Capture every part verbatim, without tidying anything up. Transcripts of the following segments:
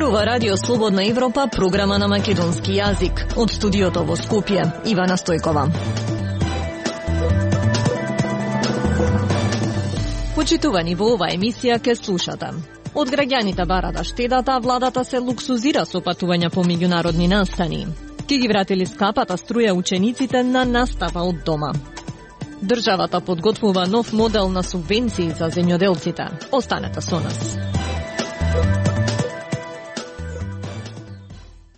Зборува Радио Слободна Европа, програма на македонски јазик. Од студиото во Скопје, Ивана Стојкова. Почитувани во оваа емисија ке слушате. Од граѓаните бара да штедата, владата се луксузира со патувања по меѓународни настани. Ки ги вратили скапата струја учениците на настава од дома. Државата подготвува нов модел на субвенции за земјоделците. Останете со нас.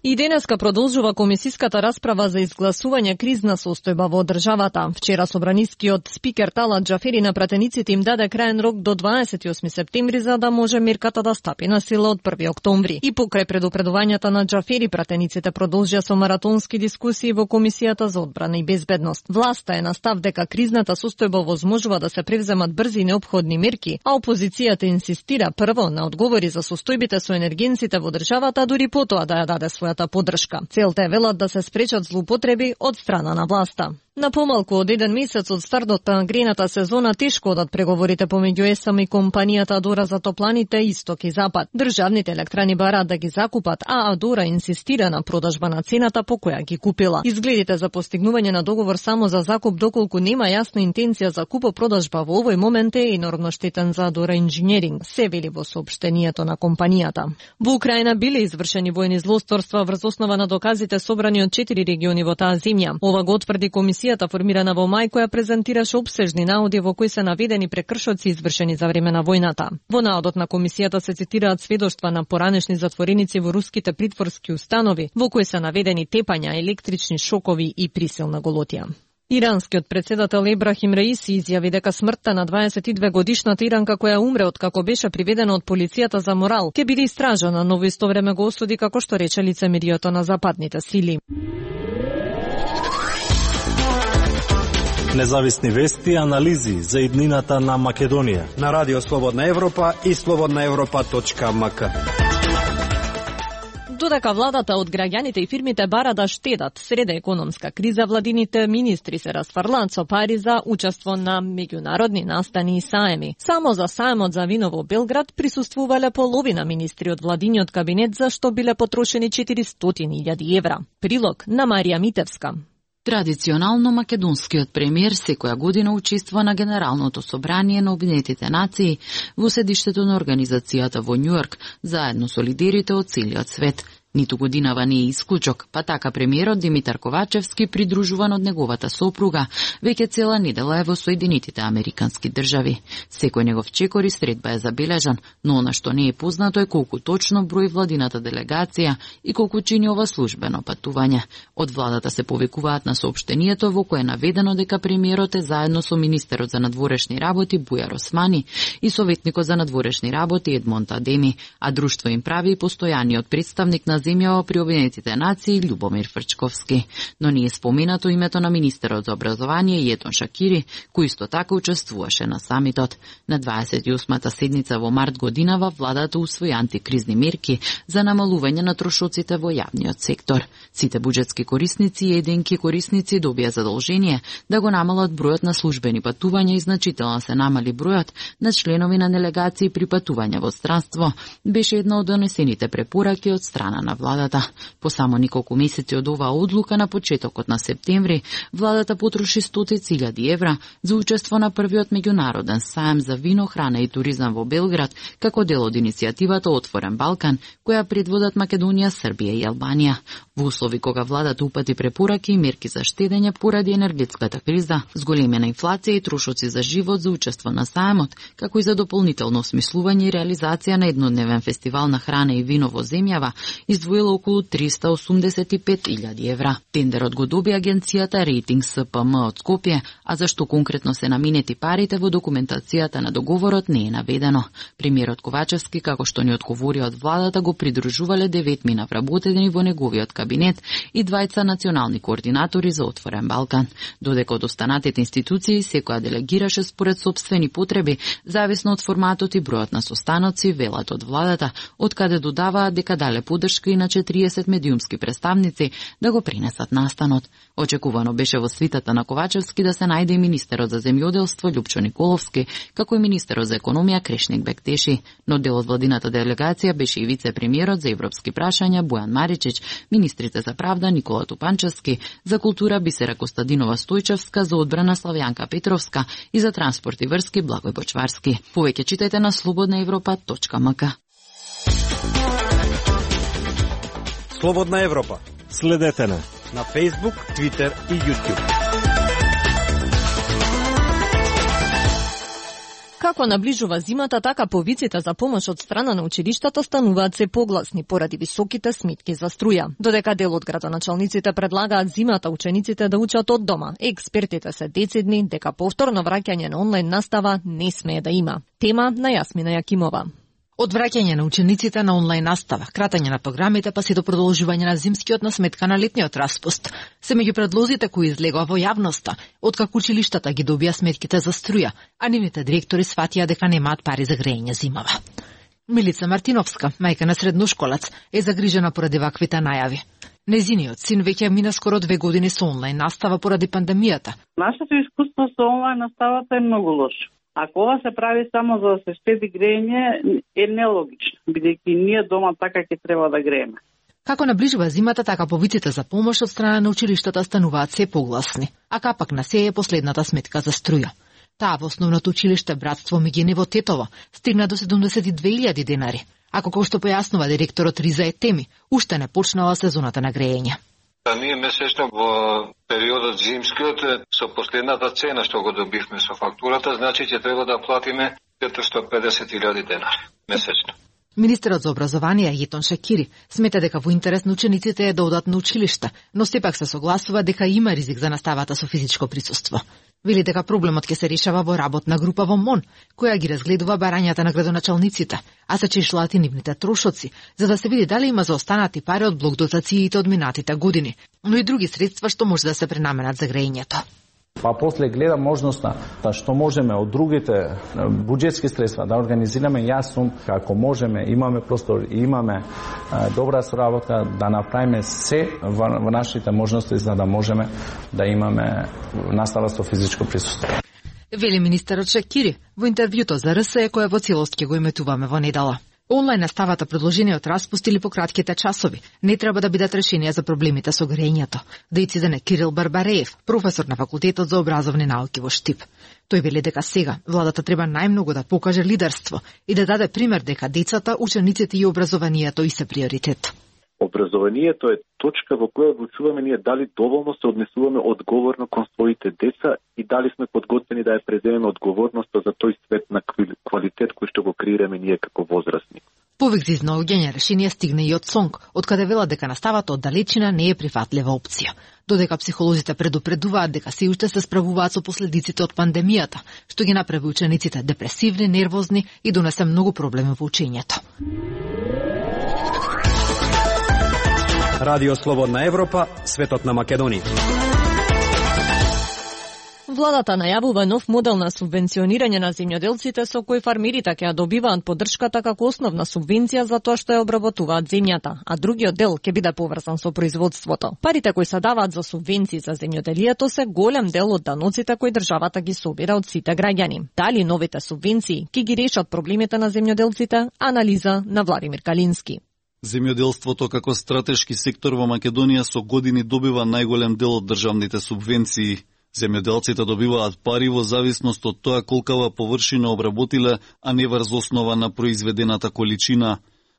И денеска продолжува комисиската расправа за изгласување кризна состојба во државата. Вчера собранискиот спикер Талат Џафери на пратениците им даде краен рок до дваесет и осми септември за да може мерката да стапи на сила од први октомври. И покрај предупредувањата на Џафери, пратениците продолжија со маратонски дискусии во Комисијата за одбрана и безбедност. Власта е на став дека кризната состојба возможува да се превземат брзи и неопходни мерки, а опозицијата инсистира прво на одговори за состојбите со енергенците во државата, дури потоа да ја даде својата поддршка. Целта е, велат, да се спречат злоупотреби од страна на власта. На помалку од еден месец од стартот на грејната сезона тешко одат преговорите помеѓу ЕСАМ и компанијата Адора за топланите Исток и Запад. Државните електрани бараат да ги закупат, а Адора инсистира на продажба на цената по која ги купила. Изгледите за постигнување на договор само за закуп, доколку нема јасна интенција за купо-продажба во овој момент, е енормно штетен за Адора Инженеринг, се вели во соопштението на компанијата. Во Украина биле извршени воени злосторства врз основа на доказите собрани од четири региони во таа земја. Ова го утврди комисија формирана во мај, која презентираше обсежни наоди во кои се наведени прекршоци извршени за време на војната. Во наодот на комисијата се цитираат сведоштва на поранешни затвореници во руските притворски установи, во кои се наведени тепања, електрични шокови и присилна голотија. Иранскиот председател Ебрахим Раиси изјави дека смртта на дваесет и две годишната иранка која умре од како беше приведена од полицијата за морал ќе биде истражана, но во исто време го осуди како што рече лицемерието на западните сили. Независни вести и анализи за иднината на Македонија на Радио Слободна Европа и слободна европа точка ем ка. Додека владата од граѓаните и фирмите бара да штедат среде економска криза, владините министри се расфрлаат со пари за учество на меѓународни настани и саеми. Само за саемот за вино во Белград присуствувале половина министри од владиниот кабинет, за што биле потрошени четиристотини илјади евра. Прилог на Марија Митевска. Традиционално македонскиот премиер секоја година учествува на Генералното собрание на Обединетите нации во седиштето на организацијата во Њујорк, заедно со лидерите од целиот свет. Ниту годинава не е исклучок, па така премиерот Димитар Ковачевски, придружуван од неговата сопруга, веќе цела недела е во Соединетите Американски држави. Секој негов чекор и средба е забележан, но она што не е познато е колку точно број владината делегација и колку чини ова службено патување. Од владата се повикуваат на соопштението во кое е наведено дека премиерот е заедно со министерот за надворешни работи Бујар Османи и советникот за надворешни работи Едмонд Адеми, а друштво им прави и постојаниот представник на земјава при Обединетите нации Љубомир Фрчковски. Но не е споменато името на министерот за образование Јетон Шакири, кој исто така учествуваше на самитот. На дваесет и осмата седница во март годинава владата усвои антикризни мерки за намалување на трошоците во јавниот сектор. Сите буџетски корисници и еденки корисници добија задолжение да го намалат бројот на службени патувања и значително се намали бројот на членови на делегации при патувања во странство. Беше една од донесените препораки од страна на владата. По само неколку месеци од оваа одлука на почетокот на септември, владата потроши стотици илјади евра за учество на првиот меѓународен саем за вино, храна и туризам во Белград, како дел од иницијативата Отворен Балкан, која предводат Македонија, Србија и Албанија. Во услови кога владата упати препораки и мерки за штедење поради енергетската криза, зголемена инфлација и трошоци за живот за учество на саемот, како и за дополнително осмислување и реализација на еднодневен фестивал на храна и вино во земјава, издвоила околу триста осумдесет и пет илјади евра. Тендерот го доби агенцијата Рейтинг С П М од Скопје, а зашто конкретно се наменети парите во документацијата на договорот не е наведено. Премиерот Ковачевски, како што ни одговори од владата, го придружувале деветмина вработени во неговиот кабинет кабинет и двајца национални координатори за Отворен Балкан, додека од останатите институции секоја делегираше според сопствени потреби, зависно од форматот и бројот на состаноци, велат од владата, од каде додаваат дека дале поддршка и на четириесет медиумски представници да го принесат настанот. Очекувано беше во свитата на Ковачевски да се најде и министерот за земјоделство Љупчо Николовски, како и министерот за економија Крешник Бектеши, но дел од владината делегација беше и вице-премиерот за европски прашања Бојан Маричич, министрите за правда Никола Тупанчевски, за култура Бисера Костадинова Стојчевска, за одбрана Славјанка Петровска и за транспорт и врски Благој Бочварски. Повеќе читајте на слободна европа точка ем ка. Слободна Европа. Следете на на Facebook, Twitter и YouTube. Како наближува зимата, така повиците за помош од страна на училиштата стануваат се погласни поради високите сметки за струја. Додека дел од градоначалниците предлагаат зимата учениците да учат од дома, експертите се децидни дека повторно враќање на онлайн настава не смее да има. Тема на Јасмина Јакимова. Од враќање на учениците на онлайн настава, кратање на програмите, па се до продолжување на зимскиот на сметка на летниот распуст, се меѓу предлозите кои излегува во јавноста, откако училиштата ги добија сметките за струја, а нивните директори сватија дека немаат пари за грејење зимава. Милица Мартиновска, мајка на средношколац, е загрижена поради ваквите најави. Незиниот син веќе мина скоро две години со онлайн настава поради пандемијата. Нашето искуство со онлайн наставата е многу лошо. Ако ова се прави само за да се штеди грејење, е нелогично, бидејќи ние дома така ќе треба да грееме. Како наближува зимата, така повиците за помош од страна на училиштата стануваат се погласни, а капак на се е последната сметка за струја. Таа во основното училиште Братство Мигенево Тетово стигна до седумдесет и две илјади денари, а како што појаснува директорот Риза Етеми, уште не почнала сезоната на грејење. А ние месечно во периодот зимскиот со последната цена што го добивме со фактурата, значи ќе треба да платиме четиристотини и педесет илјади денари месечно. Министерот за образование Јетон Шакири смета дека во интерес на учениците е да одат на училишта, но сепак се согласува дека има ризик за наставата со физичко присуство. Вели дека проблемот ќе се решава во работна група во МОН, која ги разгледува барањата на градоначалниците, а се чешлаат и нивните трошоци, за да се види дали има заостанати пари од блок дотациите од минатите години, но и други средства што може да се пренаменат за грејењето. Па после гледа можноста да што можеме од другите буџетски средства да организираме. Јас сум како можеме, имаме простор и имаме добра соработка да направиме се во нашите можности за да можеме да имаме настава со физичко присуство. Вели министерот Шакири во интервјуто за РС кој во целост ќе го еметуваме во недела. Онлайн наставата, предложениот распуст или пократките часови не треба да бидат решенија за проблемите со грејењето. Да ицидене Кирил Барбареев, професор на факултетот за образовни науки во Штип. Тој вели дека сега владата треба најмногу да покаже лидерство и да даде пример дека децата, учениците и образованието и се приоритет. Образованието е точка во која одлучуваме ние дали доволно се однесуваме одговорно кон своите деца и дали сме подготвени да ја преземеме одговорноста за тој свет на квалитет кој што го креираме ние како возрастни. Повик за изнаоѓање решение стигне и од СОНК, од каде вела дека наставата од далечина не е прифатлива опција. Додека психолозите предупредуваат дека се уште се справуваат со последиците од пандемијата, што ги направи учениците депресивни, нервозни и донесе многу проблеми во учењето. Радио Слободна Европа, светот на Македонија. Владата најавува нов модел на субвенционирање на земјоделците со кој фармерите ќе ја добиваат поддршката како основна субвенција за тоа што ја обработуваат земјата, а другиот дел ќе биде поврзан со производството. Парите кои се даваат за субвенции за земјоделието се голем дел од даноците кои државата ги собира од сите граѓани. Дали новите субвенции ќе ги решат проблемите на земјоделците? Анализа на Владимир Калински. Земјоделството како стратешки сектор во Македонија со години добива најголем дел од државните субвенции. Земјоделците добиваат пари во зависност од тоа колкава површина обработиле, а не врз основа на произведената количина.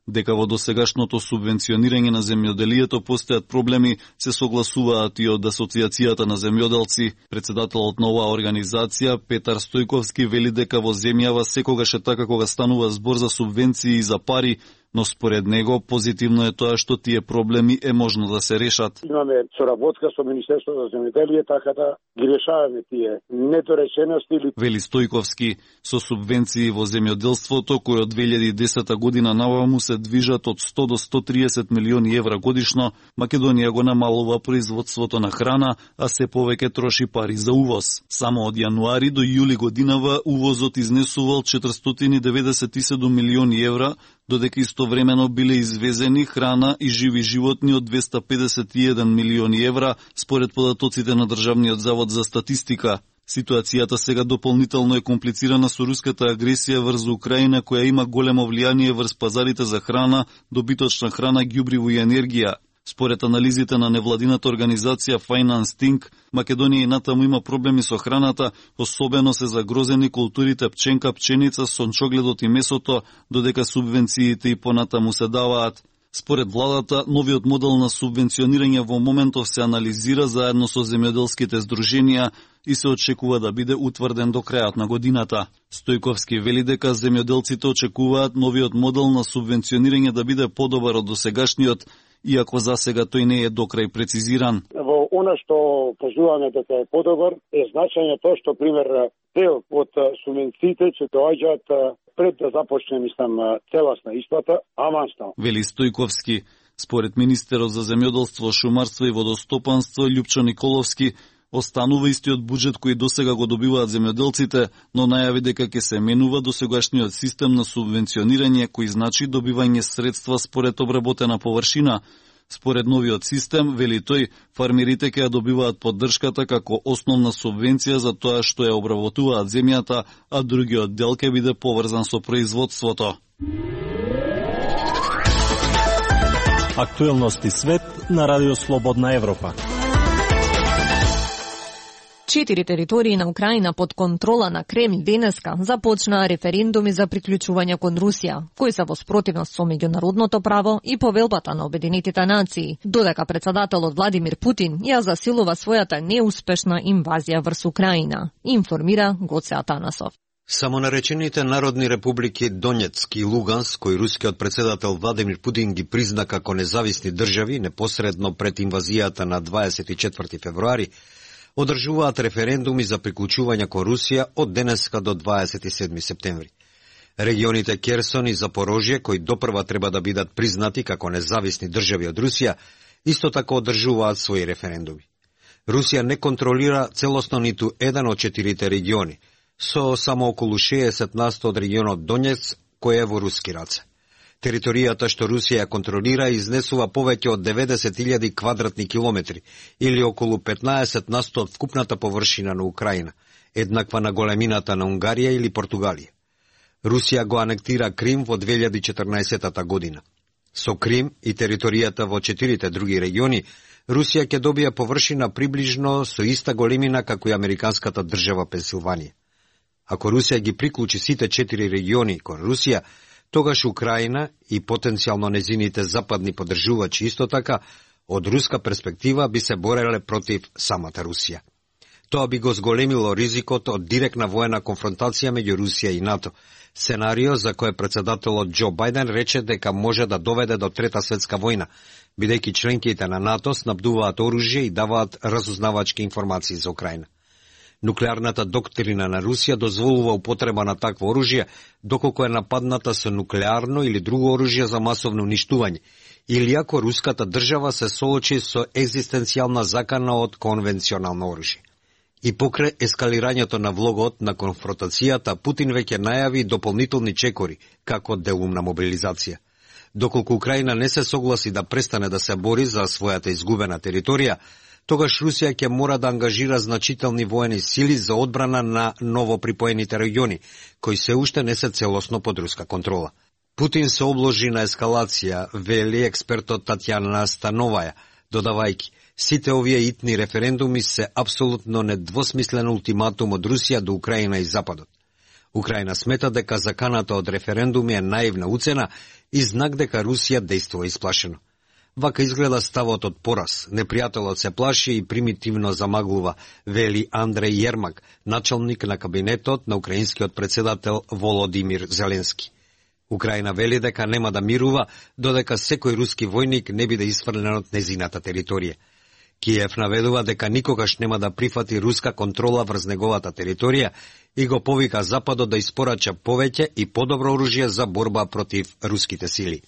Дека во досегашното субвенционирање на земјоделието постојат проблеми, се согласуваат и од Асоциацијата на земјоделци. Председателот на оваа организација, Петар Стојковски, вели дека во земјава секогаш е така кога станува збор за субвенции и за пари, но според него позитивно е тоа што тие проблеми е можно да се решат. Имаме соработка со Министерството за земјоделие, така да ги решаваме тие недоречености или вели Стојковски. Со субвенции во земјоделството кои од две илјади и десета година наваму се движат од сто до сто триесет милиони евра годишно, Македонија го намалува производството на храна, а се повеќе троши пари за увоз. Само од јануари до јули годинава увозот изнесувал четиристотини и деветдесет и седум милиони евра, додека истовремено биле извезени храна и живи животни од двесте педесет и еден милиони евра, според податоците на Државниот завод за статистика. Ситуацијата сега дополнително е комплицирана со руската агресија врз Украина, која има големо влијание врз пазарите за храна, добиточна храна, ѓубриво и енергија. Според анализите на невладината организација Finance Think, Македонија и натаму има проблеми со храната, особено се загрозени културите пченка, пченица, сончогледот и месото, додека субвенциите и понатаму се даваат. Според владата, новиот модел на субвенционирање во моментов се анализира заедно со земјоделските здруженија и се очекува да биде утврден до крајот на годината. Стојковски вели дека земјоделците очекуваат новиот модел на субвенционирање да биде подобар од досегашниот, иако за сега тој не е докрај прецизиран. Во она што кажуваме дека е подобар е значање тоа што пример дел од субвенциите ќе доаѓаат пред да започне, мислам, целосна исплата, авансно. Вели Стојковски. Според министерот за земјоделство, шумарство и водостопанство Љупчо Николовски, останува истиот буџет кој досега го добиваат земјоделците, но најави дека ќе се менува досегашниот систем на субвенционирање кој значи добивање средства според обработена површина. Според новиот систем, вели тој, фармерите ќе ја добиваат поддршката како основна субвенција за тоа што ја обработуваат земјата, а другиот дел ќе биде поврзан со производството. Актуелности свет на Радио Слободна Европа. Четири територии на Украина под контрола на Кремљ денеска започнаа референдуми за приклучување кон Русија, кои се во спротивност со меѓународното право и повелбата на Обединетите нации, додека председателот Владимир Путин ја засилува својата неуспешна инвазија врз Украина, информира Гоце Атанасов. Самонаречените народни републики Донецк и Луганск, кои рускиот председател Владимир Путин ги призна како независни држави непосредно пред инвазијата на дваесет и четврти февруари, одржуваат референдуми за приклучување кон Русија од денеска до дваесет и седми септември. Регионите Керсон и Запорожје, кои допрва треба да бидат признати како независни држави од Русија, исто така одржуваат своји референдуми. Русија не контролира целосно ниту еден од четирите региони, со само околу шеесет на сто од регионот Донецк, кој е во руски раце. Територијата што Русија контролира изнесува повеќе од деветдесет илјади квадратни километри, или околу петнаесет на сто од вкупната површина на Украина, еднаква на големината на Унгарија или Португалија. Русија го анектира Крим во две илјади и четрнаесета година. Со Крим и територијата во четирите други региони, Русија ќе добија површина приближно со иста големина како и американската држава Пенсилванија. Ако Русија ги приклучи сите четири региони кон Русија, тогаш Украина и потенцијално незините западни поддржувачи исто така, од руска перспектива би се бореле против самата Русија. Тоа би го зголемило ризикот од директна воена конфронтација меѓу Русија и НАТО, сценарио за кое председателот Џо Бајден рече дека може да доведе до Трета светска војна, бидејќи членките на НАТО снабдуваат оружје и даваат разузнавачки информации за Украина. Нуклеарната доктрина на Русија дозволува употреба на такво оружје доколку е нападната со нуклеарно или друго оружје за масовно уништување, или ако руската држава се соочи со екзистенцијална закана од конвенционално оружје. И покрај ескалирањето на влогот на конфронтацијата, Путин веќе најави дополнителни чекори, како делумна мобилизација. Доколку Украина не се согласи да престане да се бори за својата изгубена територија, тогаш Русија ќе мора да ангажира значителни воени сили за одбрана на новоприпоените региони, кои се уште не се целосно под руска контрола. Путин се обложи на ескалација, вели експертот Татјана Становаја, додавајќи: сите овие итни референдуми се апсолутно недвосмислен ултиматум од Русија до Украина и Западот. Украина смета дека заканата од референдуми е наивна уцена и знак дека Русија действува исплашено. Вака изгледа ставот од пораз. Непријателот се плаши и примитивно замаглува, вели Андреј Јермак, началник на кабинетот на украинскиот председател Володимир Зеленски. Украина вели дека нема да мирува додека секој руски војник не биде исфрлен од незината територија. Киев наведува дека никогаш нема да прифати руска контрола врз неговата територија и го повика Западот да испорача повеќе и подобро оружје за борба против руските сили.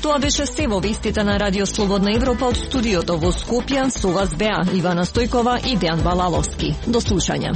Тоа беше се во вестите на Радио Слободна Европа од студиото во Скопје. Со вас беа Ивана Стојкова и Дејан Балаловски. До слушање.